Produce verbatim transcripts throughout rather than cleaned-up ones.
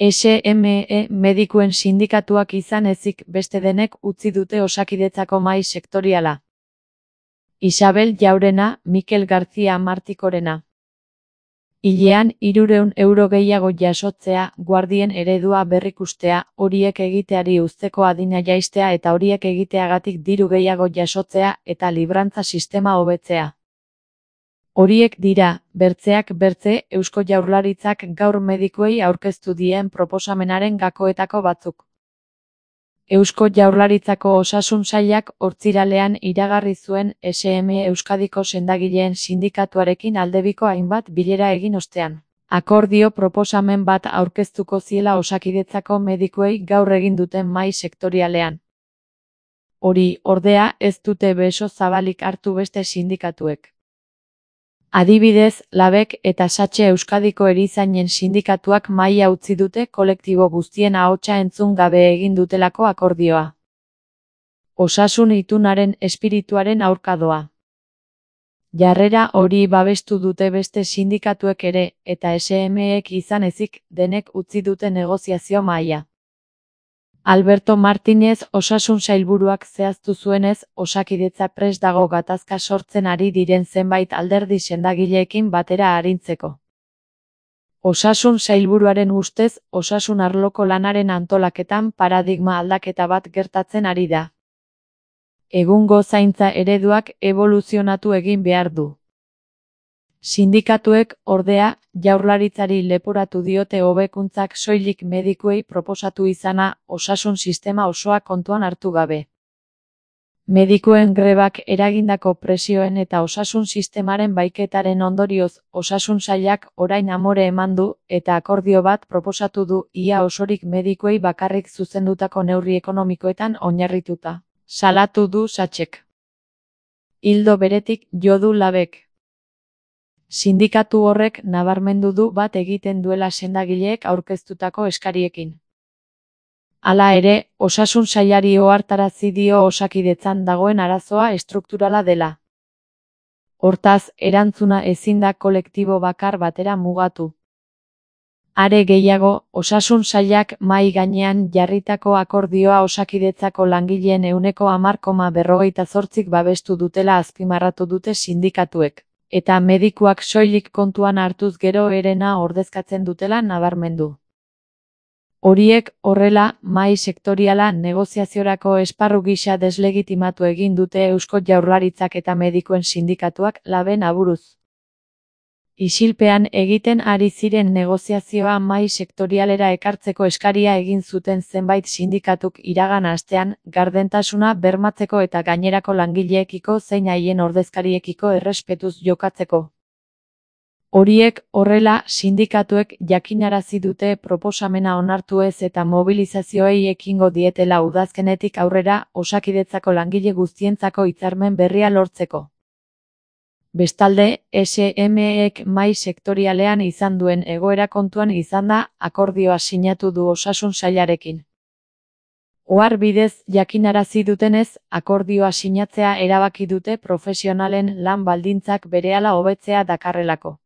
S M E medikuen sindikatuak izan ezik beste denek utzi dute Osakidetzako mahai sektoriala. Isabel Jaurena, Mikel García Martikorena. Hilean hirurehun euro gehiago jasotzea, guardien eredua berrikustea, horiek egiteari uzteko adina jaistea eta horiek egiteagatik diru gehiago jasotzea eta librantza sistema hobetzea. Horiek dira, bertzeak bertze, Eusko Jaurlaritzak gaur medikuei aurkeztu dien proposamenaren gakoetako batzuk. Eusko Jaurlaritzako Osasun Sailak ostiralean iragarri zuen S M E Euskadiko sendagileen sindikatuarekin aldebiko hainbat bilera egin ostean. Akordio proposamen bat aurkeztuko ziela Osakidetzako medikuei gaur egin duten mahai sektorialean. Hori, ordea, ez dute beso zabalik hartu beste sindikatuek. Adibidez, Labek eta Satxe Euskadiko erizainen sindikatuak mahaia utzi dute kolektibo guztien ahotsa entzun gabe egin dutelako akordioa. Osasun itunaren espirituaren aurkadoa. Jarrera hori babestu dute beste sindikatuek ere, eta S M Ek izan ezik, denek utzi dute negoziazio mahaia. Alberto Martínez Osasun Sailburuak zehaztu zuenez, Osakidetza prest dago gatazka sortzen ari diren zenbait alderdi sendagileekin batera arintzeko. Osasun Sailburuaren ustez, osasun arloko lanaren antolaketan paradigma aldaketa bat gertatzen ari da. Egungo zaintza ereduak eboluzionatu egin behar du. Sindikatuek, ordea, Jaurlaritzari leporatu diote hobekuntzak soilik medikuei proposatu izana, osasun sistema osoa kontuan hartu gabe. Medikuen grebak eragindako presioen eta osasun sistemaren baiketaren ondorioz, Osasun Sailak orain amore eman du, eta akordio bat proposatu du ia osorik medikuei bakarrik zuzendutako neurri ekonomikoetan oinarrituta. Salatu du Satxek. Ildo beretik jo du Labek. Sindikatu horrek nabarmendu du bat egiten duela sendagileek aurkeztutako eskariekin. Hala ere, Osasun Sailari ohartarazi dio Osakidetzan dagoen arazoa estrukturala dela. Hortaz, erantzuna ezin da kolektibo bakar batera mugatu. Are gehiago, Osasun Sailak mahai gainean jarritako akordioa Osakidetzako langileen ehuneko hamar koma berrogeita zortzik babestu dutela azpimarratu dute sindikatuek. Eta medikuak soilik kontuan hartuz gero herena ordezkatzen dutela nabarmendu. Horiek, horrela, mahai sektoriala negoziaziorako esparru gisa deslegitimatu egin dute Eusko Jaurlaritzak eta medikuen sindikatuak Laben aburuz. Isilpean egiten ari ziren negoziazioa mahai sektorialera ekartzeko eskaria egin zuten zenbait sindikatuk iragan astean, gardentasuna bermatzeko eta gainerako langileekiko zein haien ordezkariekiko errespetuz jokatzeko. Horiek, horrela, sindikatuek jakinarazi dute proposamena onartu ez eta mobilizazioei ekingo dietela udazkenetik aurrera Osakidetzako langile guztientzako hitzarmen berria lortzeko. Bestalde, S M Ek mahai sektorialean izan duen egoera kontuan izanda, akordioa sinatu du Osasun Sailarekin. Ohar bidez jakinarazi dutenez, akordioa sinatzea erabaki dute profesionalen lan baldintzak berehala hobetzea dakarrelako.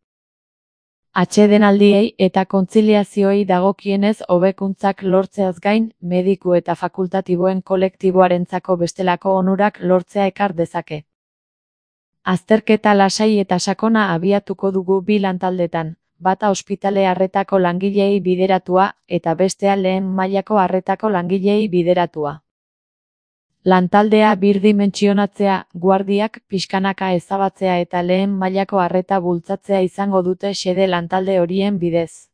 Atsedenaldiei eta kontziliazioei dagokienez hobekuntzak lortzeaz gain, mediku eta fakultatiboen kolektiboarentzako bestelako onurak lortzea ekar dezake. Azterketa lasai eta sakona abiatuko dugu bi lantaldetan, bata ospitale arretako langileei bideratua eta bestea lehen mailako arretako langileei bideratua. Lantaldea birdimentsionatzea, guardiak pixkanaka ezabatzea eta lehen mailako arreta bultzatzea izango dute xede lantalde horien bidez.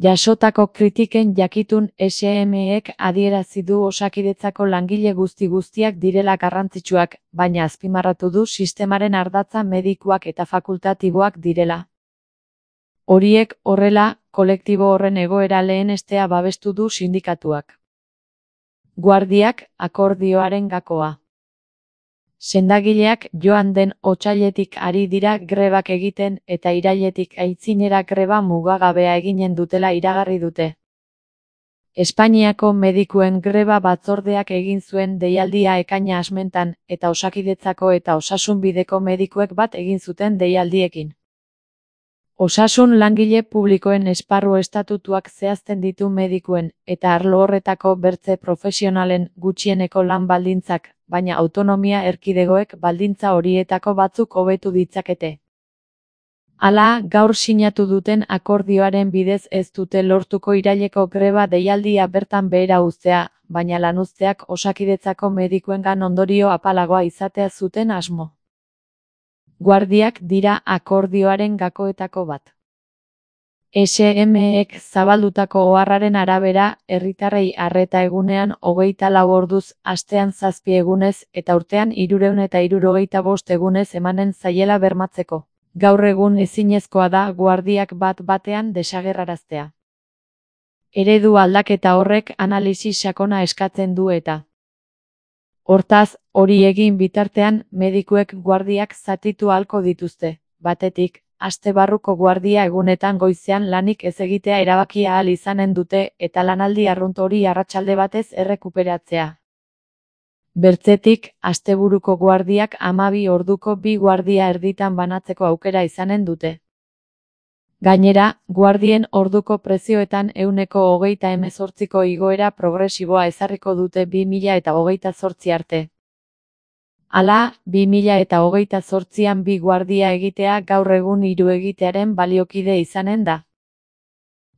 Jasotako kritiken jakitun S M Ek adierazi du Osakidetzako langile guzti guztiak direla garrantzitsuak, baina azpimarratu du sistemaren ardatza medikuak eta fakultatiboak direla. Horiek, horrela, kolektibo horren egoera lehenestea babestu du sindikatuak. Guardiak, akordioaren gakoa. Sendagileak joan den otsailetik ari dira grebak egiten eta irailetik aitzinera greba mugagabea eginen dutela iragarri dute. Espainiako medikuen greba batzordeak egin zuen deialdia ekaina asmentan eta Osakidetzako eta Osasunbideko medikuek bat egin zuten deialdiekin. Osasun langile publikoen esparru estatutuak zehazten ditu medikuen eta arlo horretako bertze profesionalen gutxieneko lan baldintzak, baina autonomia erkidegoek baldintza horietako batzuk hobetu ditzakete. Hala, gaur sinatu duten akordioaren bidez ez dute lortuko iraileko greba deialdia bertan behera uztea, baina lanuzteak Osakidetzako medikuengan ondorio apalagoa izatea zuten asmo. Guardiak dira akordioaren gakoetako bat. S M ek zabaldutako oharraren arabera, herritarrei arreta egunean hogeita lau orduz, astean zazpi egunez eta urtean hirurehun eta hirurogeita bost egunez emanen zaiela bermatzeko. Gaur egun ezinezkoa da guardiak bat batean desagerraraztea. Eredu aldaketa horrek analisi sakona eskatzen du eta. Hortaz, hori egin bitartean, medikuek guardiak zatitu ahalko dituzte. Batetik, aste barruko guardia egunetan goizean lanik ez egitea erabakia ahal izanen dute eta lanaldi arrunt hori arratsalde batez errekuperatzea. Bertzetik, asteburuko guardiak hamabi orduko bi guardia erditan banatzeko aukera izanen dute. Gainera, guardien orduko prezioetan ehuneko hogeita hemezortziko igoera progresiboa ezarriko dute bi mila eta hogeita zortzi arte. Hala, bi mila eta hogeita zortzian bi guardia egitea gaur egun hiru egitearen baliokide izanen da.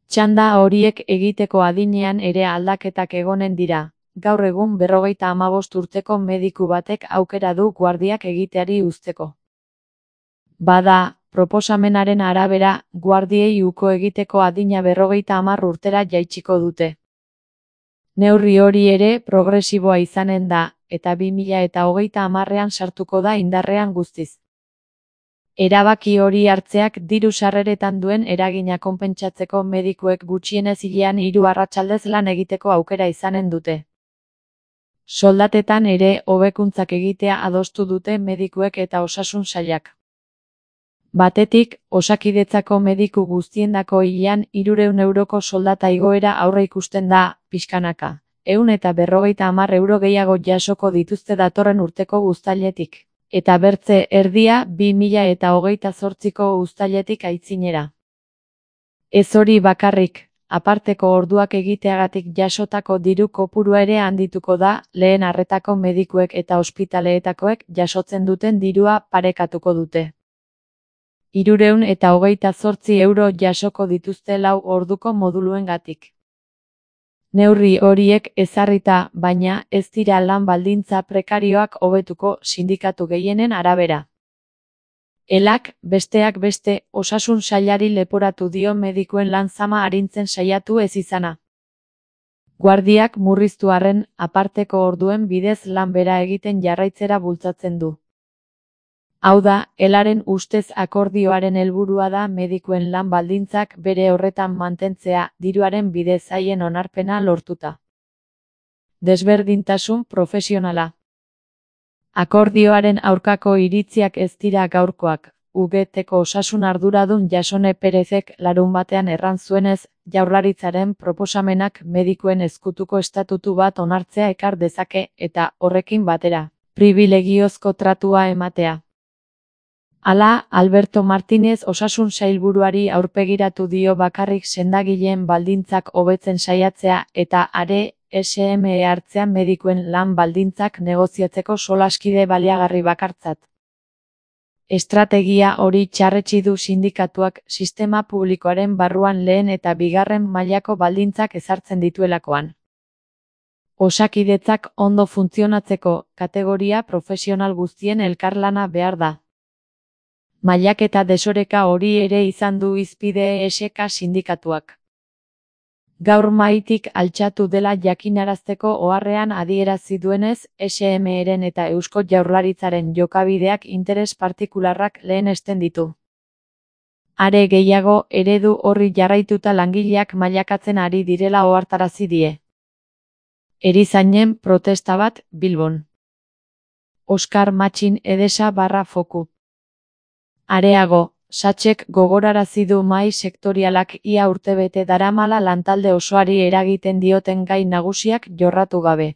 Txanda horiek egiteko adinean ere aldaketak egonen dira. Gaur egun berrogeita hamabost urteko mediku batek aukera du guardiak egiteari uzteko. Bada, proposamenaren arabera, guardiei uko egiteko adina berrogeita hamar urtera jaitsiko dute. Neurri hori ere progresiboa izanen da, eta bi mila eta hogeita hamarrean sartuko da indarrean guztiz. Erabaki hori hartzeak diru sarreretan duen eragina konpentsatzeko medikuek gutxienez hilean hiru arratsaldez lan egiteko aukera izanen dute. Soldatetan ere hobekuntzak egitea adostu dute medikuek eta osasun sailak. Batetik, Osakidetzako mediku guztiendako hilean hirurehun euroko soldata igoera aurreikusten da, pixkanaka. Ehun eta berrogeita hamar euro gehiago jasoko dituzte datorren urteko uztailetik. Eta bertze erdia bi mila eta hogeita zortziko uztailetik aitzinera. Ez hori bakarrik, aparteko orduak egiteagatik jasotako diru kopurua ere handituko da, lehen arretako medikuek eta ospitaleetakoek jasotzen duten dirua parekatuko dute. Hirurehun eta hogeita zortzi euro jasoko dituzte lau orduko moduluengatik. Neurri horiek ezarrita, baina ez dira lan baldintza prekarioak hobetuko sindikatu gehienen arabera. Elak, besteak beste, osasun sailari leporatu dio medikuen lan zama arintzen saiatu ez izana. Guardiak murriztu arren, aparteko orduen bidez lan bera egiten jarraitzera bultzatzen du. Hau da, Elaren ustez akordioaren helburua da medikuen lan baldintzak bere horretan mantentzea, diruaren bidez haien onarpena lortuta. Desberdintasun profesionala. Akordioaren aurkako iritziak ez dira gaurkoak. U G Tko osasun arduradun Jasone Perezek larun batean erran zuenez, Jaurlaritzaren proposamenak medikuen ezkutuko estatutu bat onartzea ekar dezake eta, horrekin batera, pribilegiozko tratua ematea. Hala, Alberto Martínez osasun sailburuari aurpegiratu dio bakarrik sendagileen baldintzak hobetzen saiatzea eta are S M E hartzean medikuen lan baldintzak negoziatzeko solaskide baliagarri bakartzat. Estrategia hori txarretsi du sindikatuak sistema publikoaren barruan lehen eta bigarren mailako baldintzak ezartzen dituelakoan. Osakidetzak ondo funtzionatzeko kategoria profesional guztien elkarlana behar da. Mailaketa desoreka hori ere izan du hizpide E S K sindikatuak. Gaur mahaitik altxatu dela jakinarazteko oharrean adierazi duenez, S M Eren eta Eusko Jaurlaritzaren jokabideak interes partikularrak lehenesten ditu. Are gehiago, eredu horri jarraituta langileak mailakatzen ari direla ohartarazi die. Erizainen protesta bat, Bilbon. Oskar Matxin Edesa barra foku. Areago, Satxek gogorarazi du mahai sektorialak ia urtebete daramala lantalde osoari eragiten dioten gai nagusiak jorratu gabe.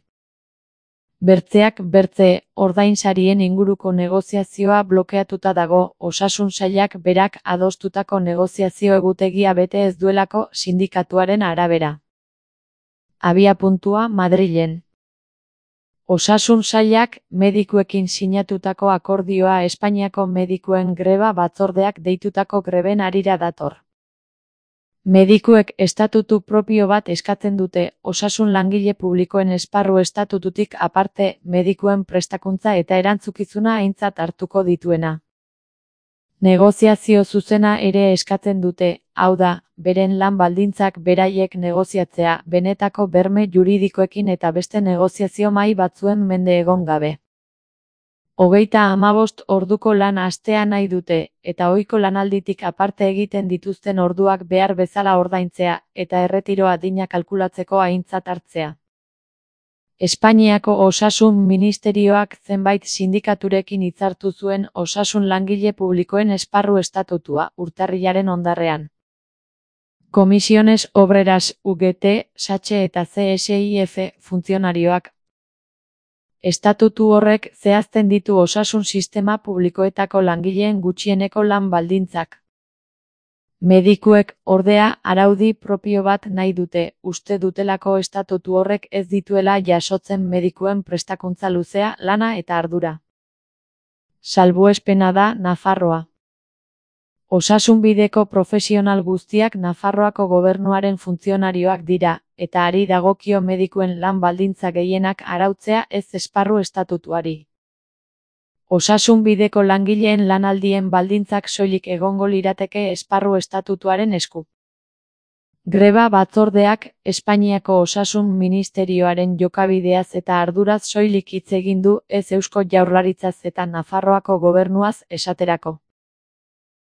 Bertzeak bertze, ordainsarien inguruko negoziazioa blokeatuta dago, osasun sailak berak adostutako negoziazio egutegia bete ez duelako sindikatuaren arabera. Abiapuntua Madrilen. Osasun sailak medikuekin sinatutako akordioa Espainiako medikuen greba batzordeak deitutako greben harira dator. Medikuek estatutu propio bat eskatzen dute, osasun langile publikoen esparru estatututik aparte, medikuen prestakuntza eta erantzukizuna aintzat hartuko dituena. Negoziazio zuzena ere eskatzen dute, hau da, beren lan baldintzak beraiek negoziatzea, benetako berme juridikoekin eta beste negoziazio mahai batzuen mende egon gabe. Hogeita hamabost orduko lan astea nahi dute, eta ohiko lanalditik aparte egiten dituzten orduak behar bezala ordaintzea, eta erretiro adina kalkulatzeko aintzat hartzea. Espainiako Osasun Ministerioak zenbait sindikaturekin hitzartu zuen osasun langile publikoen esparru estatutua, urtarrilaren ondarrean. Comisiones Obreras U G T, S A C H eta C S I F funtzionarioak. Estatutu horrek zehazten ditu osasun sistema publikoetako langileen gutxieneko lan baldintzak. Medikuek, ordea, araudi propio bat nahi dute, uste dutelako estatutu horrek ez dituela jasotzen medikuen prestakuntza luzea, lana eta ardura. Salbuespena da Nafarroa. Osasunbideko profesional guztiak Nafarroako gobernuaren funtzionarioak dira, eta ari dagokio medikuen lan baldintza gehienak arautzea ez esparru estatutuari. Osasunbideko langileen lanaldien baldintzak soilik egongo lirateke esparru estatutuaren esku. Greba batzordeak Espainiako Osasun Ministerioaren jokabideaz eta arduraz soilik hitz egin du, ez Eusko Jaurlaritzaz eta Nafarroako gobernuaz esaterako.